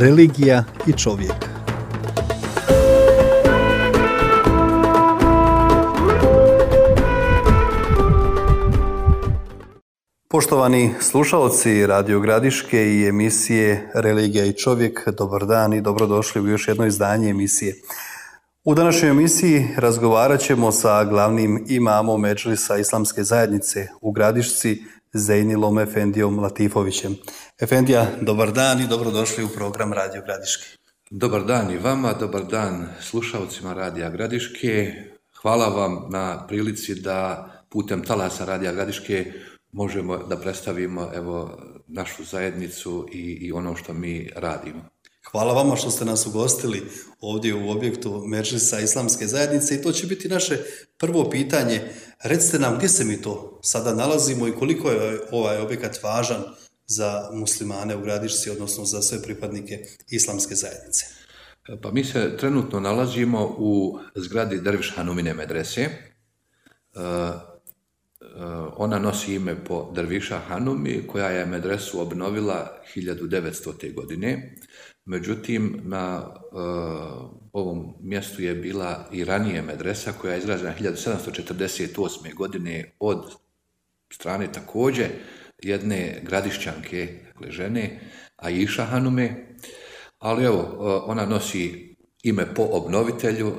religija i čovjek. Poštovani slušalci Radio Gradiške i emisije Religija i čovjek, dobar dan i dobrodošli u još jedno izdanje emisije. U današnjoj emisiji razgovarat ćemo sa glavnim imamom Medžlisa Islamske zajednice u Gradišci, Zejnilom Efendijom Latifovićem. Efendija, dobar dan i dobrodošli u program Radio Gradiške. Dobar dan i vama, dobar dan slušalcima Radija Gradiške. Hvala vam na prilici da putem talasa Radija Gradiške možemo da predstavimo našu zajednicu i ono što mi radimo. Hvala vama što ste nas ugostili ovdje u objektu Medžlisa Islamske zajednice i to će biti naše prvo pitanje. Recite nam gdje se mi to sada nalazimo i koliko je ovaj objekat važan za muslimane u Gradišci, odnosno za sve pripadnike Islamske zajednice. Pa mi se trenutno nalazimo u zgradi Derviš Hanumine medrese. Ona nosi ime po Derviša Hanumi, koja je medresu obnovila 1900. godine. Međutim, na ovom mjestu je bila i ranije medresa koja je izgrađena 1748. godine od strane također jedne gradišćanke, dakle žene, Aisha Hanume, ali ona nosi ime po obnovitelju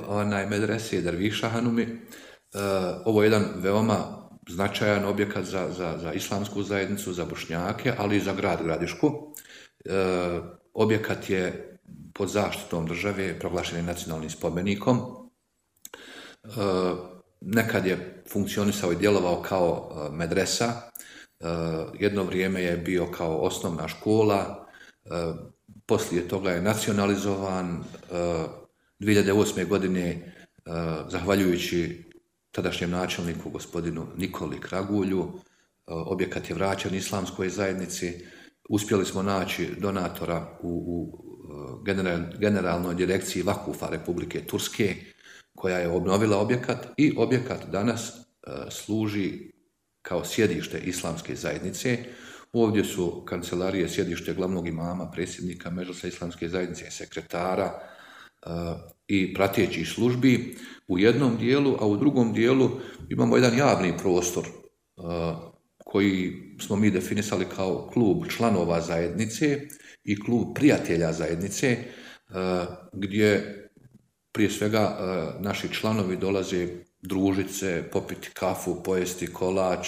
medrese Derviša Hanumi. Ovo je jedan veoma značajan objekat za islamsku zajednicu, za Bošnjake, ali i za grad Gradišku. Objekat je pod zaštitom države, proglašen je nacionalnim spomenikom. Nekad je funkcionisao i djelovao kao medresa. Jedno vrijeme je bio kao osnovna škola. Poslije toga je nacionalizovan. 2008. godine, zahvaljujući tadašnjem načelniku, gospodinu Nikoli Kragulju, objekat je vraćen islamskoj zajednici. Uspjeli smo naći donatora u generalnoj direkciji Vakufa Republike Turske, koja je obnovila objekat i objekat danas služi kao sjedište Islamske zajednice. Ovdje su kancelarije, sjedište glavnog imama, predsjednika Medžlisa Islamske zajednice, sekretara i pratećih službi u jednom dijelu, a u drugom dijelu imamo jedan javni prostor koji smo mi definisali kao klub članova zajednice i klub prijatelja zajednice, gdje prije svega naši članovi dolaze družiti se, popiti kafu, pojesti kolač,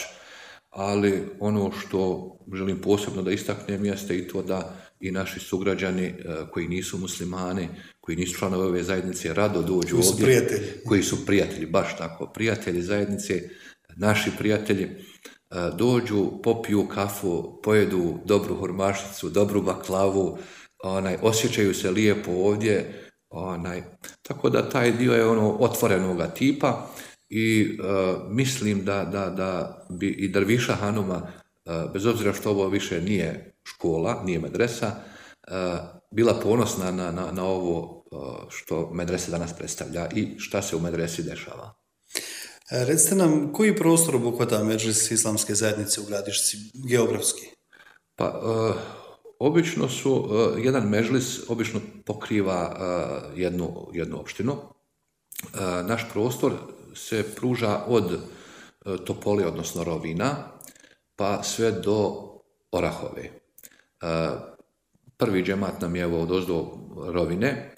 ali ono što želim posebno da istaknem jeste i to da i naši sugrađani koji nisu muslimani, koji nisu članovi ove zajednice, rado dođu ovdje. Koji su prijatelji, baš tako, prijatelji zajednice, naši prijatelji, dođu, popiju kafu, pojedu dobru hurmašicu, dobru baklavu, osjećaju se lijepo ovdje, tako da taj dio je otvorenoga tipa i mislim da bi i Derviša Hanuma, bez obzira što ovo više nije škola, nije medresa, bila ponosna na ovo što medresa danas predstavlja i šta se u medresi dešava. Recite nam, koji prostor obuhvata Medžlis Islamske zajednice u Gradišci, geografski? Pa, obično su, jedan medžlis obično pokriva jednu opštinu. Naš prostor se pruža od Topole, odnosno Rovina, pa sve do Orahove. Prvi džemat nam je odozdo Rovine,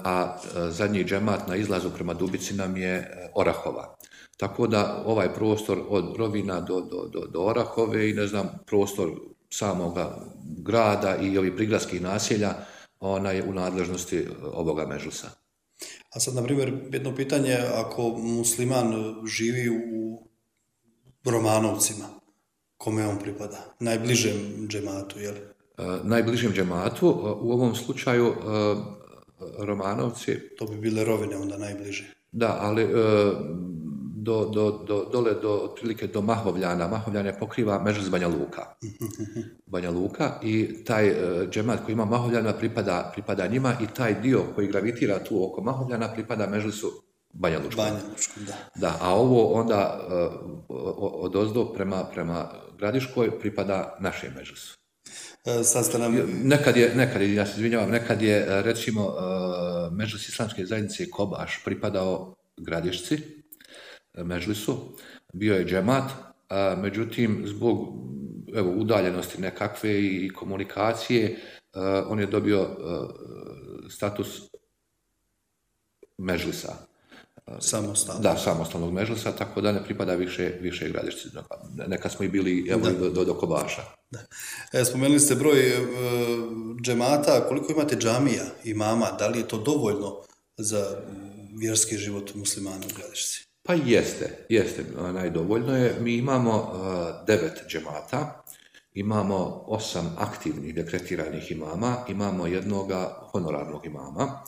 a zadnji džemat na izlazu prema Dubici nam je Orahova. Tako da ovaj prostor od Rovina do Orahove i prostor samoga grada i ovih prigradskih naselja, ona je u nadležnosti ovoga medžlisa. A sad, na primjer, jedno pitanje, ako musliman živi u Romanovcima, kome on pripada? Najbližem džematu, je li? Najbližem džematu, u ovom slučaju Romanovci. To bi bile Rovine onda najbliže. Da, ali dole otprilike do Mahovljana. Mahovljane pokriva Medžlis Banja Luka i taj džemat koji ima Mahovljana pripada njima i taj dio koji gravitira tu oko Mahovljana pripada Medžlisu Banja Lučkom. Da, a ovo onda odozdo prema Gradiškoj pripada našem Medžlisu. Sad ste nam... Nekad je, ja se izvinjavam, nekad je recimo Medžlis islamske zajednice Kobaš pripadao Gradišci, Medžlisu, bio je džemat, međutim zbog udaljenosti nekakve i komunikacije on je dobio status Medžlisa. Samostalno. Da, samostalnog Medžlisa, tako da ne pripada više Gradišci. Nekad smo i bili do Kobaša. Da. Spomenuli ste broj džemata, koliko imate džamija, imama, da li je to dovoljno za vjerski život muslimana u Gradišci? Pa jeste, najdovoljno je. Mi imamo 9 džemata, imamo 8 aktivnih dekretiranih imama, imamo jednoga honorarnog imama.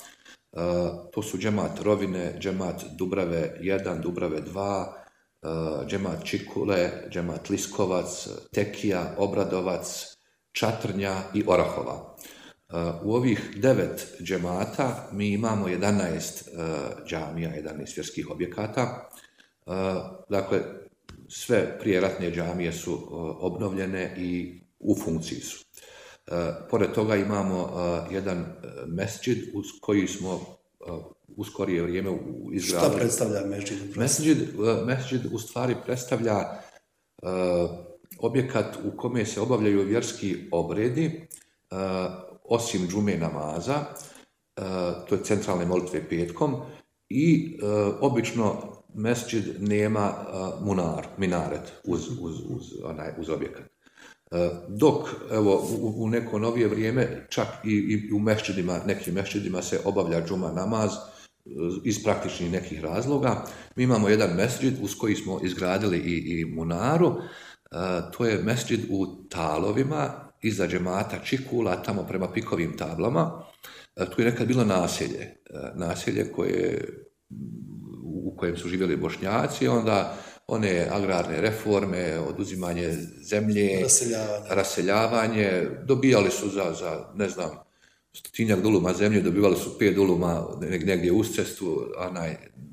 To su džemat Rovine, džemat Dubrave 1, Dubrave 2, džemat Čikule, džemat Liskovac, Tekija, Obradovac, Čatrnja i Orahova. U ovih 9 džemata mi imamo 11 džamija, 11 vjerskih objekata. Dakle, sve prijeratne džamije su obnovljene i u funkciji su. Pored toga imamo jedan mesdžid uz koji smo u skorije vrijeme izgradili. Šta predstavlja mesdžid? Mesdžid u stvari predstavlja objekat u kome se obavljaju vjerski obredi, osim džume namaza, to je centralne molitve petkom, i obično mesdžid nema minaret uz objekat. Dok evo, u neko novije vrijeme čak i u nekim mesdžidima se obavlja džuma namaz iz praktičnih nekih razloga. Mi imamo jedan mesdžid uz koji smo izgradili i munaru. To je mesdžid u Talovima, iza džemata Čikula, tamo prema Pikovim tablama. Tu je nekad bilo naselje u kojem su živjeli Bošnjaci, onda one agrarne reforme, oduzimanje zemlje, raseljavanje, dobijali su za ne znam, 100 duluma zemlje, dobivali su 5 duluma negdje uz cestu,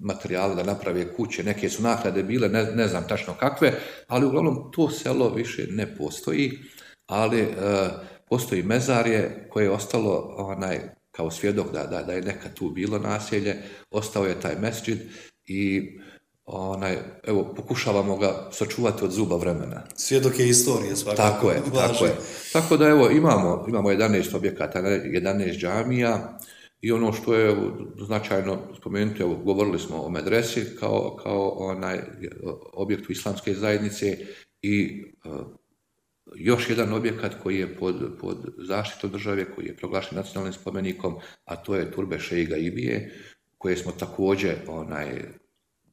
materijale da naprave kuće, neke su naknade bile, ne znam tačno kakve, ali uglavnom to selo više ne postoji, ali postoji mezarje koje je ostalo kao svjedok da je nekad tu bilo naselje, ostao je taj mesdžid i evo, pokušavamo ga sačuvati od zuba vremena. Svjedok je istorije svakako. Tako je. Tako da evo, imamo 11 objekata, 11 džamija i ono što je značajno spomenuti, evo, govorili smo o medresi kao objektu islamske zajednice i još jedan objekat koji je pod zaštitom države, koji je proglašen nacionalnim spomenikom, a to je Turbe Šejga Ibije, koje smo također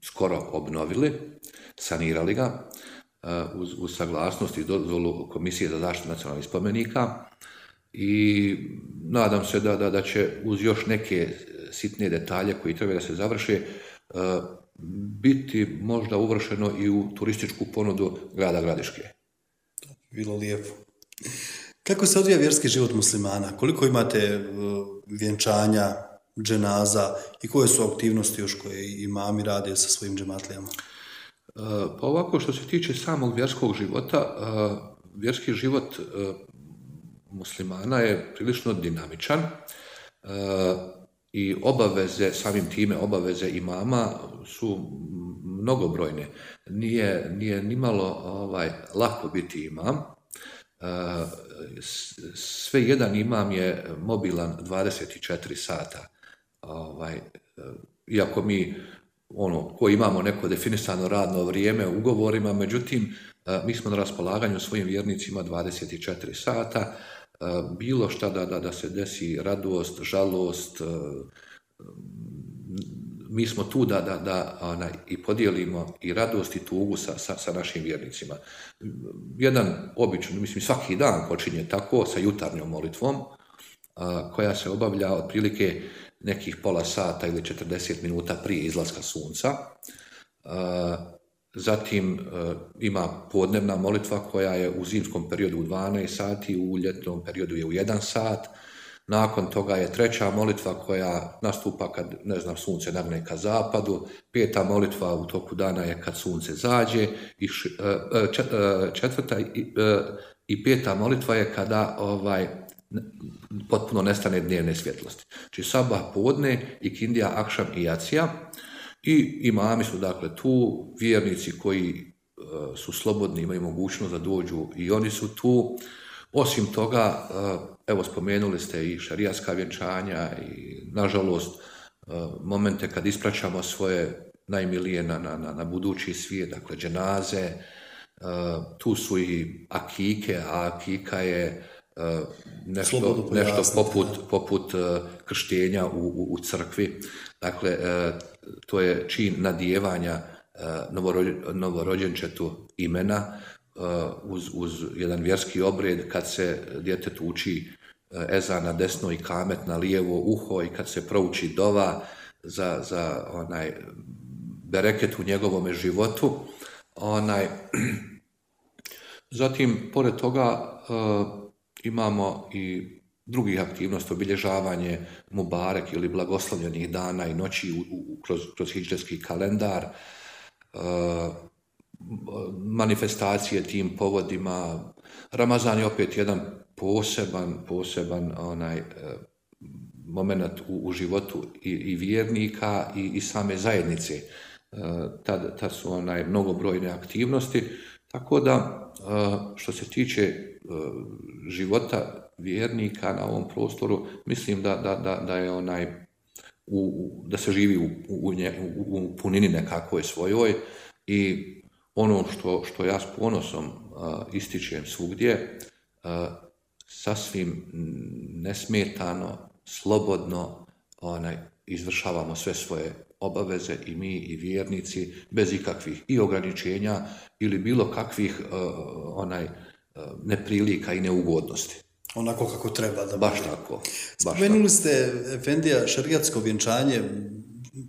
skoro obnovili, sanirali ga uz saglasnost i dozvolu Komisije za zaštitu nacionalnih spomenika i nadam se da će uz još neke sitne detalje koji treba da se završe biti možda uvršeno i u turističku ponudu grada Gradiške. Bilo lijepo. Kako se odvija vjerski život muslimana? Koliko imate vjenčanja, dženaza i koje su aktivnosti još koje imami rade sa svojim džematlijama? Pa ovako, što se tiče samog vjerskog života, vjerski život muslimana je prilično dinamičan i samim time obaveze imama su mnogobrojne. Nije nimalo lako biti imam. Sve jedan imam je mobilan 24 sata. Iako mi ko imamo neko definisano radno vrijeme u ugovorima, međutim mi smo na raspolaganju svojim vjernicima 24 sata, bilo šta da se desi, radost, žalost, mi smo tu da i podijelimo i radost i tugu sa našim vjernicima. Jedan obično, mislim svaki dan počinje tako sa jutarnjom molitvom koja se obavlja otprilike nekih pola sata ili 40 minuta prije izlaska sunca. Zatim ima podnevna molitva koja je u zimskom periodu u 12 sati, u ljetnom periodu je u 1 sat. Nakon toga je treća molitva koja nastupa kad, sunce nagne ka zapadu. 5. molitva u toku dana je kad sunce zađe. I I 5. molitva je kada potpuno nestane dnevne svjetlosti. Znači sabah, podne, ikindija, akšam i jacija. I imami su dakle tu, vjernici koji su slobodni, imaju mogućnost da dođu i oni su tu. Osim toga, evo spomenuli ste i šarijatska vjenčanja i nažalost momente kad ispraćamo svoje najmilije na budući svijet, dakle dženaze, tu su i akike, a akika je nešto poput krštenja u crkvi. Dakle, to je čin nadijevanja novorođenčetu imena uz jedan vjerski obred kad se djetetu uči ezan na desno i kamet na lijevo uho i kad se prouči dova za onaj bereket u njegovome životu. Zatim, pored toga, imamo i drugih aktivnosti, obilježavanje Mubarek ili blagoslovljenih dana i noći kroz hidžretski kalendar, manifestacije tim povodima. Ramazan je opet jedan poseban moment u životu i vjernika i same zajednice. Tad su mnogobrojne aktivnosti, tako da što se tiče života vjernika na ovom prostoru, mislim da je da se živi u punini nekakvoj svojoj i ono što ja s ponosom ističem svugdje, sasvim nesmetano, slobodno izvršavamo sve svoje obaveze i mi i vjernici bez ikakvih i ograničenja ili bilo kakvih neprilika i neugodnosti. Onako kako treba da baš tako. Spomenuli ste, efendija, šerijatsko vjenčanje.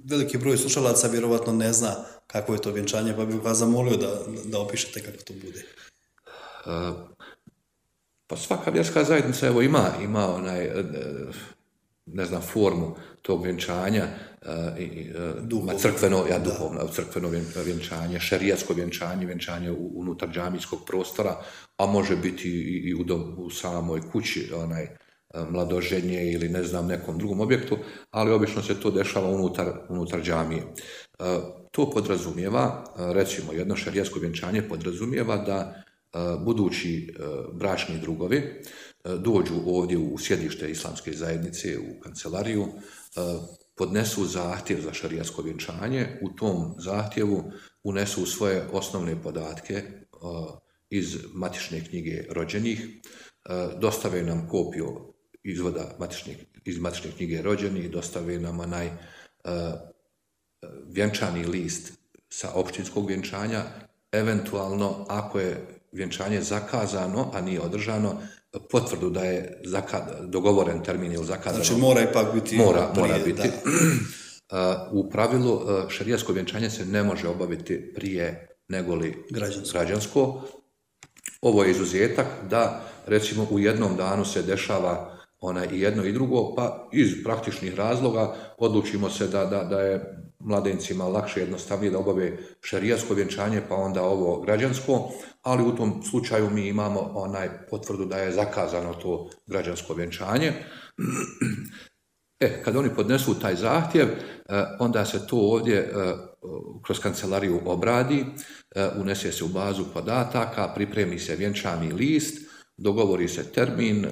Veliki broj slušalaca vjerovatno ne zna kako je to vjenčanje, pa bih vas zamolio da opišete kako to bude. Pa svaka vjerska zajednica ima formu tog vjenčanja, crkveno vjenčanje, šerijatsko vjenčanje, vjenčanje unutar džamijskog prostora, a može biti i u samoj kući, mladoženje ili nekom drugom objektu, ali obično se to dešava unutar džamije. To podrazumijeva, recimo jedno šerijatsko vjenčanje podrazumijeva da budući bračni drugovi dođu ovdje u sjedište islamske zajednice, u kancelariju, podnesu zahtjev za šerijatsko vjenčanje, u tom zahtjevu unesu svoje osnovne podatke iz matične knjige rođenih, dostave nam kopiju izvoda iz matične knjige rođenih, dostave nam vjenčani list sa općinskog vjenčanja, eventualno ako je vjenčanje zakazano, a nije održano, potvrdu da je dogovoren termin ili zakazano. Znači mora ipak biti. Mora biti. U pravilu šerijatsko vjenčanje se ne može obaviti prije negoli građansko. Ovo je izuzetak da recimo u jednom danu se dešava i jedno i drugo, pa iz praktičnih razloga odlučimo se da je mladencima lakše, jednostavnije da obave šerijatsko vjenčanje, pa onda ovo građansko, ali u tom slučaju mi imamo potvrdu da je zakazano to građansko vjenčanje. Kad oni podnesu taj zahtjev, onda se to ovdje kroz kancelariju obradi, unese se u bazu podataka, pripremi se vjenčani list, dogovori se termin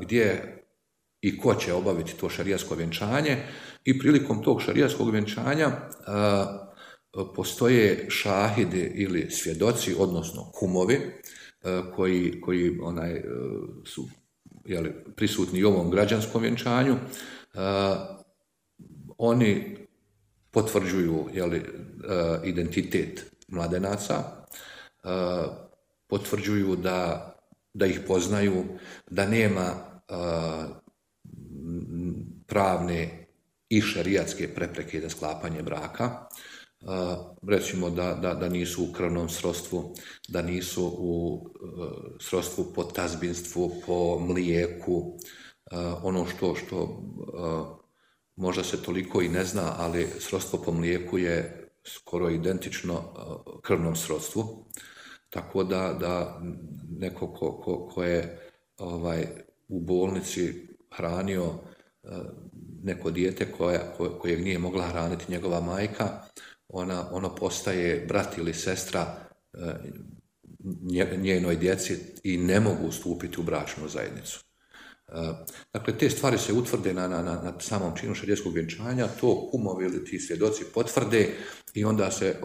gdje i ko će obaviti to šerijatsko vjenčanje i prilikom tog šerijatskog vjenčanja postoje šahidi ili svjedoci, odnosno kumovi koji su prisutni u ovom građanskom vjenčanju. Oni potvrđuju identitet mladenaca, potvrđuju da ih poznaju, da nema pravne i šerijatske prepreke za sklapanje braka. Recimo da nisu u krvnom srodstvu, da nisu u srodstvu po tazbinstvu, po mlijeku, ono što možda se toliko i ne zna, ali srodstvo po mlijeku je skoro identično krvnom srodstvu. Tako da neko ko je u bolnici hranio neko dijete kojeg nije mogla hraniti njegova majka, ono postaje brat ili sestra njenoj djeci i ne mogu stupiti u bračnu zajednicu. Dakle, te stvari se utvrde na samom činu šerijatskog vjenčanja, to kumovi ili ti svjedoci potvrde i onda se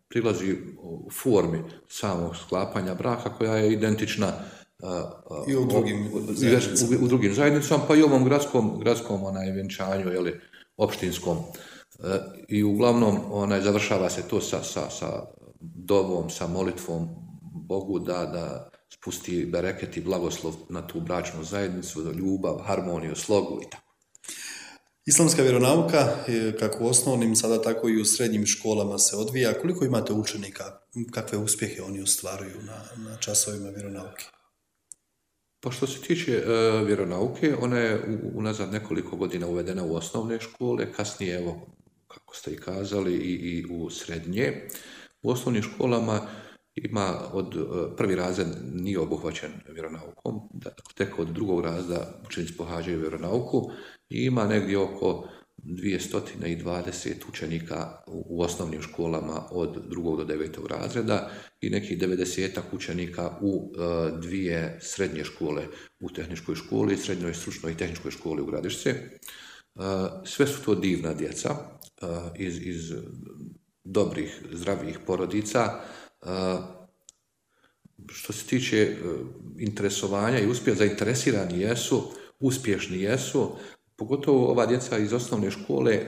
prilazi u formi samog sklapanja braka koja je identična i u drugim zajednicama, pa i ovom gradskom vjenčanju, opštinskom. I uglavnom završava se to sa dovom, sa molitvom Bogu da spusti bereket i blagoslov na tu bračnu zajednicu, ljubav, harmoniju, slogu i tako. Islamska vjeronauka, kako u osnovnim, sada tako i u srednjim školama se odvija. Koliko imate učenika? Kakve uspjehe oni ostvaruju na časovima vjeronauke? Pa što se tiče vjeronauke, ona je unazad nekoliko godina uvedena u osnovne škole, kasnije, evo, kako ste i kazali, i u srednje. U osnovnim školama ima prvi razred nije obuhvaćen vjeronaukom, tek od drugog razreda učenici pohađaju vjeronauku i ima negdje oko 220 učenika u osnovnim školama od 2. do 9. razreda i nekih 90 učenika u dvije srednje škole, u tehničkoj školi, srednjoj stručnoj i tehničkoj školi u Gradišce. Sve su to divna djeca iz dobrih, zdravih porodica. Što se tiče interesovanja i uspjeha, zainteresirani jesu, uspješni jesu, pogotovo ova djeca iz osnovne škole,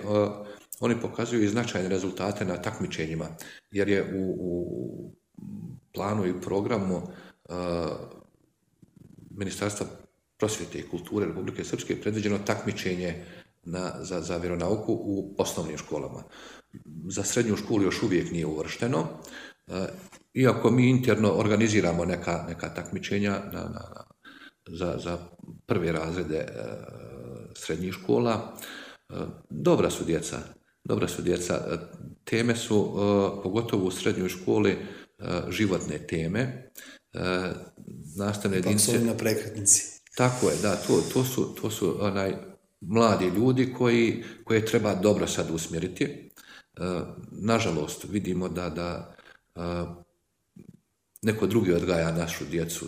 oni pokazuju i značajne rezultate na takmičenjima, jer je u planu i programu Ministarstva prosvjete i kulture Republike Srpske predviđeno takmičenje za vjeronauku u osnovnim školama. Za srednju školu još uvijek nije uvršteno, iako mi interno organiziramo neka takmičenja za prve razrede srednjih škola. Dobra su djeca. Teme su, pogotovo u srednjoj školi, životne teme. Nastavne jedinice... na prekretnici. Tako je, da, to su mladi ljudi koje treba dobro sad usmjeriti. Nažalost, vidimo da neko drugi odgaja našu djecu.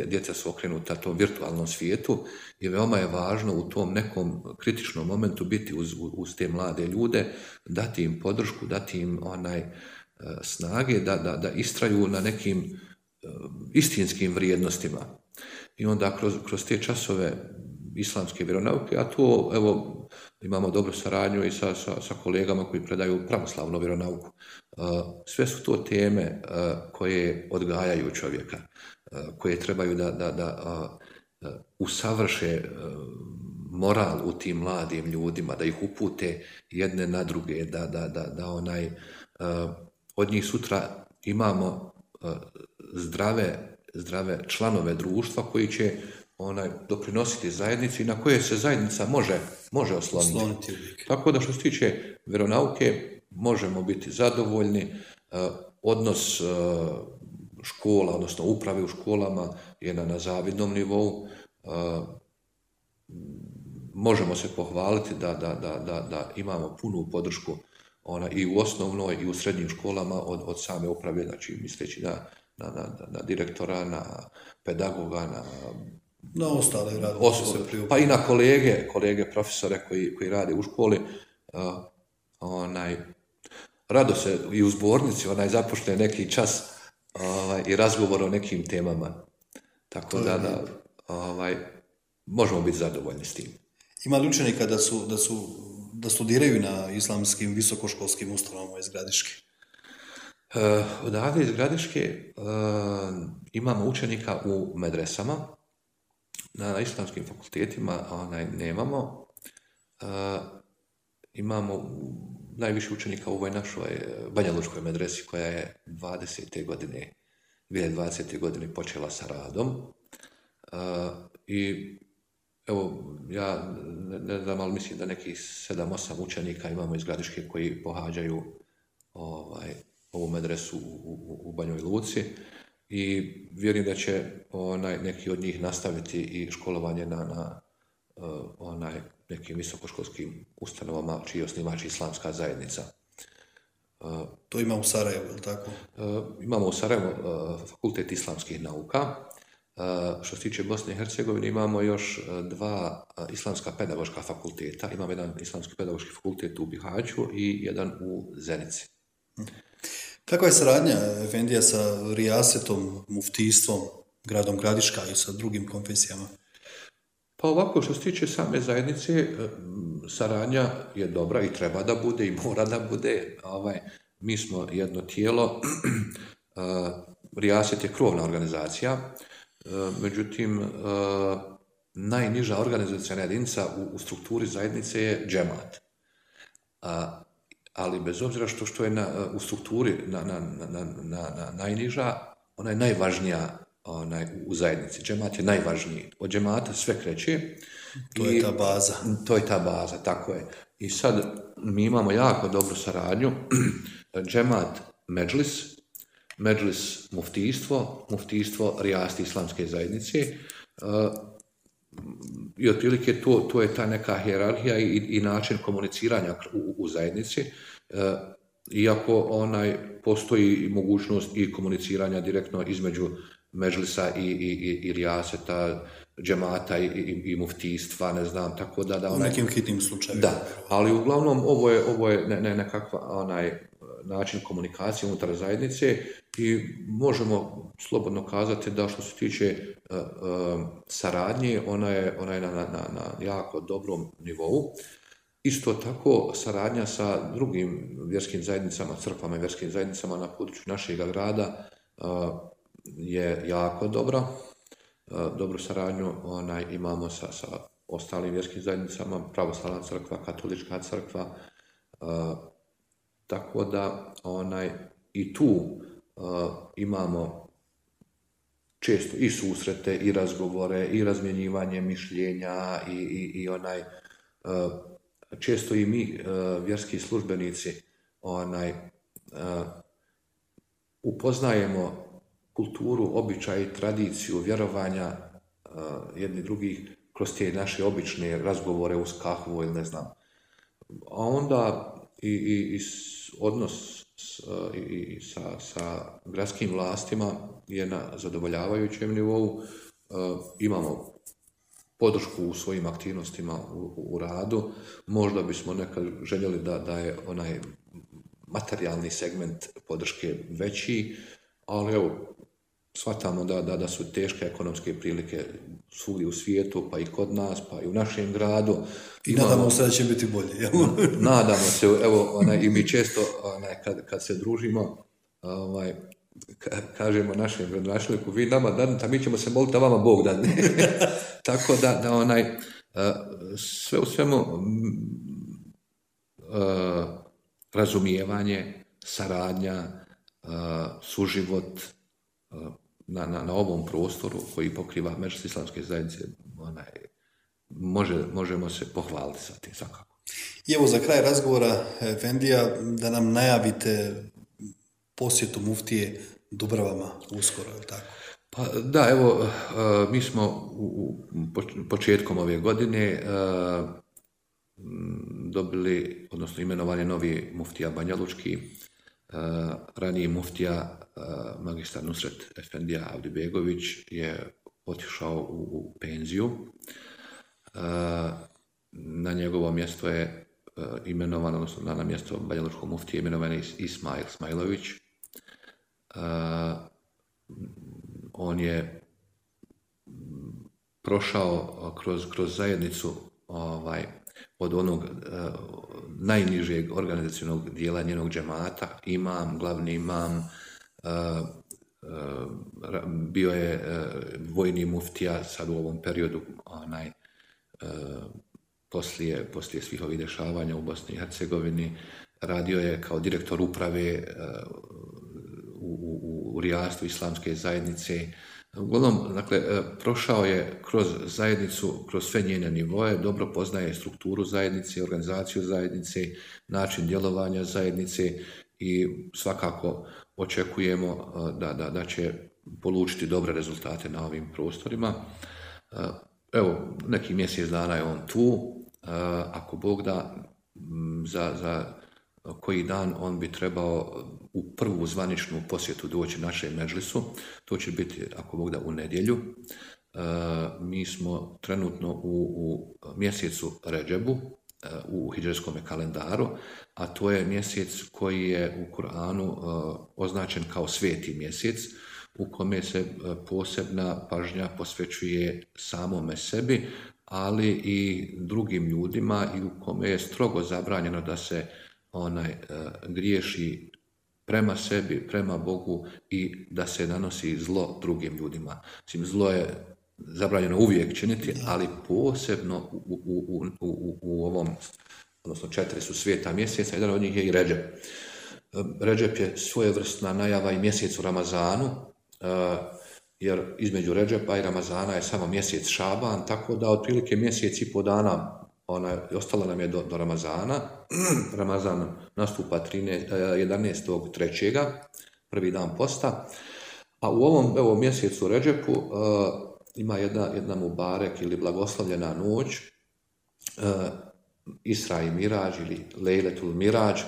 Djeca su okrenuta tom virtualnom svijetu i veoma je važno u tom nekom kritičnom momentu biti uz te mlade ljude, dati im podršku, dati im snage da istraju na nekim istinskim vrijednostima. I onda kroz te časove islamske vjeronauke, a to, evo, imamo dobru saradnju i sa kolegama koji predaju pravoslavnu vjeronauku. Sve su to teme koje odgajaju čovjeka, koje trebaju da usavrše moral u tim mladim ljudima, da ih upute jedne na druge, da od njih sutra imamo zdrave članove društva koji će doprinositi zajednici i na koje se zajednica može osloniti. Tako da što se tiče vjeronauke možemo biti zadovoljni. Odnos škola, odnosno uprave u školama je na zavidnom nivou. Možemo se pohvaliti da imamo punu podršku i u osnovnoj i u srednjim školama od same uprave, znači misleći na direktora, na pedagoga, na ostale pa i na kolege profesore koji rade u školi. Rado se i u zbornici započne neki čas i razgovor o nekim temama. Tako da možemo biti zadovoljni s tim. Ima li učenika da studiraju na islamskim visokoškolskim ustanovama iz Gradiške? Odavde iz Gradiške imamo učenika u medresama, na islamskim fakultetima nemamo. Imamo najviše učenika u ovoj našoj banjalučkoj medresi koja je 2020. godine počela sa radom. I evo, ja ne znam, ali mislim da nekih 7-8 učenika imamo iz Gradiške koji pohađaju ovu medresu u Banjoj Luci i vjerujem da će neki od njih nastaviti i školovanje na nekim visokoškolskim ustanovama čiji je osnivač Islamska zajednica. To ima u Sarajevu, ili tako? Imamo u Sarajevu Fakultet islamskih nauka. Što se tiče Bosne i Hercegovine, imamo još 2 islamska pedagoška fakulteta. Imamo jedan islamski pedagoški fakultet u Bihaću i jedan u Zenici. Kakva je saradnja efendija sa rijasetom, muftijstvom, gradom Gradiška i sa drugim konfesijama? Pa ovako, što se tiče same zajednice, saradnja je dobra i treba da bude i mora da bude. Mi smo jedno tijelo, rijaset je krovna organizacija, međutim, najniža organizacijna jedinica u strukturi zajednice je džemat. Ali bez obzira što je u strukturi najniža, ona je najvažnija u zajednici. Džemat je najvažniji. Od džemata sve kreće. To je ta baza. To je ta baza, tako je. I sad mi imamo jako dobru saradnju. Džemat medžlis muftijstvo rijasti islamske zajednice. I otprilike to je ta neka hijerarhija i način komuniciranja u zajednici. Iako postoji mogućnost i komuniciranja direktno između medžlisa i rijaseta, džemata i muftijstva, ne znam, tako da... U nekim hitnim slučajevima. Da, ali uglavnom ovo je nekakva način komunikacije unutar zajednice i možemo slobodno kazati da što se tiče saradnje, ona je na jako dobrom nivou. Isto tako, saradnja sa drugim vjerskim zajednicama, crkvama i vjerskim zajednicama na području našeg grada je jako dobra. Dobru saradnju imamo sa ostalim vjerskim zajednicama, pravoslavna crkva, katolička crkva, tako da i tu imamo često i susrete, i razgovore, i razmjenjivanje mišljenja i često i mi, vjerski službenici, upoznajemo kulturu, običaj, tradiciju, vjerovanja jedni drugih kroz te naše obične razgovore uz kahvu ili ne znam. A onda i odnos sa gradskim vlastima je na zadovoljavajućem nivou. Imamo podršku u svojim aktivnostima u radu. Možda bismo nekad željeli da je onaj materijalni segment podrške veći, ali evo, shvatamo da su teške ekonomske prilike svugdje u svijetu, pa i kod nas, pa i u našem gradu. I nadamo se da će biti bolje, jel? Nadamo se, evo, i mi često, kad se družimo, kažemo našem gradonačelniku, vi nama dadnete, a mi ćemo se moliti da vama Bog dadne. Tako da sve u svemu razumijevanje, saradnja, suživot na ovom prostoru koji pokriva medžlis islamske zajednice, možemo se pohvaliti sa tim svakako. I evo za kraj razgovora, efendija, da nam najavite posjetu muftije Dubravama uskoro, je li tako? Pa da, evo, mi smo početkom ove godine dobili, odnosno imenovan je novi muftija Banjalučki, raniji muftija magistar Nusret Efendija Avdibegović je otišao u penziju. Na njegovo mjesto je imenovan, odnosno na mjesto Banjalučkog muftije imenovan je Ismail Smajlović. On je prošao kroz zajednicu od onog najnižeg organizacionog dijela njenog džemata, imam, glavni imam, bio je vojni muftija sad u ovom periodu, poslije svih ovih dešavanja u Bosni i Hercegovini, radio je kao direktor uprave u rijastvu islamske zajednice. Uglavnom, dakle, prošao je kroz zajednicu, kroz sve njene nivoje, dobro poznaje strukturu zajednice, organizaciju zajednice, način djelovanja zajednice i svakako očekujemo da će polučiti dobre rezultate na ovim prostorima. Evo, neki mjesec dana je on tu, ako Bog da, za koji dan on bi trebao u prvu zvaničnu posjetu doći našem medžlisu. To će biti, ako Bog da, u nedjelju. Mi smo trenutno u mjesecu Redžebu, u hidžrijskom kalendaru, a to je mjesec koji je u Kur'anu označen kao sveti mjesec, u kome se posebna pažnja posvećuje samome sebi, ali i drugim ljudima, i u kome je strogo zabranjeno da se griješi prema sebi, prema Bogu, i da se nanosi zlo drugim ljudima. Mislim, zlo je zabranjeno uvijek činiti, ali posebno u ovom, odnosno 4 su sveta mjeseca, jedan od njih je i Redžep. Redžep je svojevrsna najava i mjesec u Ramazanu, jer između Redžepa i Ramazana je samo mjesec Šaban, tako da otprilike mjesec i po dana ostala nam je do Ramazana. Ramazan nastupa 11.3., prvi dan posta, a u ovom mjesecu Redžepu ima jedna mubarek ili blagoslovljena noć, Isra i Mirađ ili Lejletul Mirađ.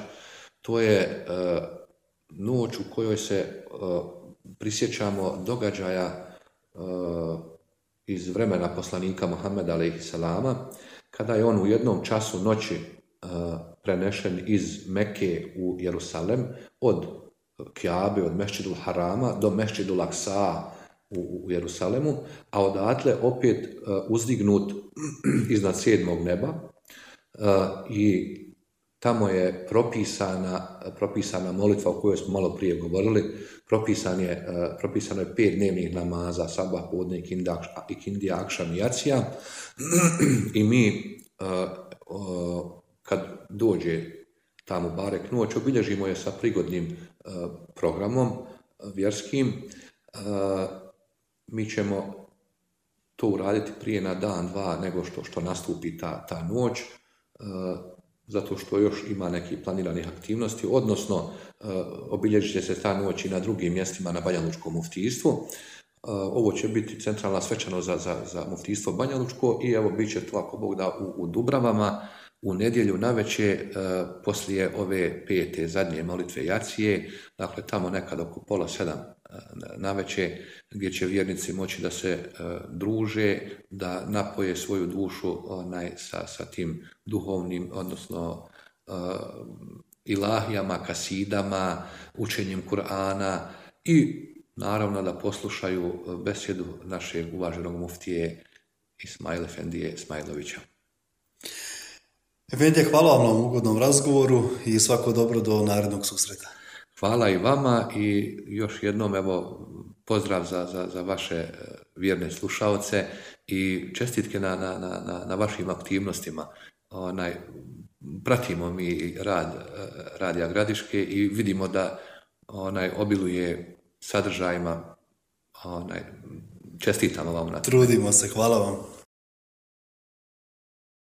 To je noć u kojoj se prisjećamo događaja iz vremena poslanika Muhammeda alejhisselama, kada je on u jednom času noći prenešen iz Mekke u Jerusalem, od Kjabe, od Mešćidul Harama do Mešćidul Aksa u Jerusalemu, a odatle opet uzdignut iznad 7. neba, i tamo je propisana molitva o kojoj smo malo prije govorili. Propisano je 5 dnevnih namaza, sabah, podne, ikindija, akšam i jacija, i mi kad dođe ta mubarek noć obilježimo je sa prigodnim programom vjerskim. Mi ćemo to uraditi prije na dan, dva nego što nastupi ta noć, zato što još ima nekih planiranih aktivnosti, odnosno obilježit će se ta noć i na drugim mjestima na Banjalučkom muftijstvu. Ovo će biti centralna svečanost za muftijstvo Banjalučko, i evo bit će to, ako Bog da, u Dubravama u nedjelju navečer, poslije ove 5. zadnje molitve jacije, dakle tamo nekad oko 6:30 navečer, gdje će vjernici moći da se druže, da napoje svoju dušu sa tim duhovnim, odnosno ilahijama, kasidama, učenjem Kur'ana, i naravno da poslušaju besjedu našeg uvaženog muftije Ismail Efendije Ismailovića. Efendija, hvala vam na ovom ugodnom razgovoru i svako dobro do narednog susreta. Hvala i vama, i još jednom evo pozdrav za vaše vjerne slušaoce i čestitke na vašim aktivnostima. Pratimo mi rad Radija Gradiške i vidimo da obiluje sadržajima. Čestitamo vam na to. Trudimo se, hvala vam.